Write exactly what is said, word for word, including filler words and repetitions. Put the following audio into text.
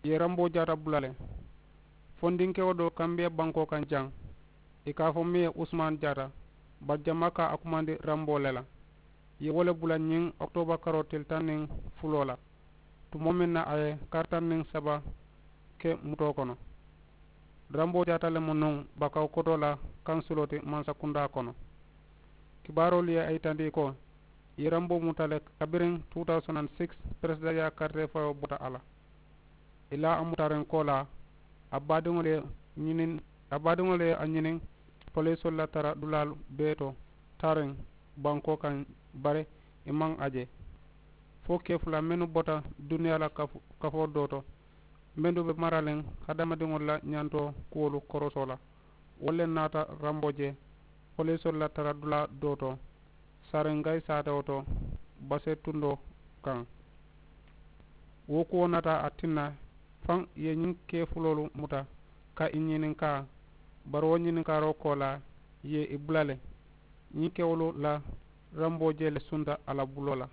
ye ramboo jaata bula le. Fondinkewo doo kambiya bankoo kaŋ jaŋ, i ka a fo meŋ ye usman jaata, bari jamaa ka a kumandi ramboo le la. Ye wo le bula ñiŋ okitooba karoo tili taŋ niŋ fuloo la, tumoo meŋ na a ye kari taŋ niŋ saba ke mutoo kono. Ramboo jaata le mu nuŋ bakaw kotoo la kaŋ suloo ti mansakundaa kono. Kibaaroolu ye a yitandi ko, i ye ramboo muta le kabiriŋ two thousand and six, peresidaa ye a karitee fayoo bota a la. I la a mutariŋ koolaa, a baadiŋolu ye ñiniŋ a baadiŋolu ye a ñiniŋ polisoolu la tara dulaalu bee to taariŋ bankoo kaŋ, bari i maŋ a je. Fo kee fula mennu bota duniyaa la kafoo doo to, mennu be maraliŋ hadamadiŋolu la ñantoo kuwolu korosoo la, wolu le naata ramboo je polisoolu la tara dulaa doo to, sariŋ gayi saatewo to basee tundoo kaŋ. Wo kuwo naata a tinna faŋ ye ñiŋ kee fuloolu muta ka i ñininkaa, bari wo ñininkaaroo koolaa ye i bula le. Ñiŋ kewolu la ramboo jee le sunta a la buloo la.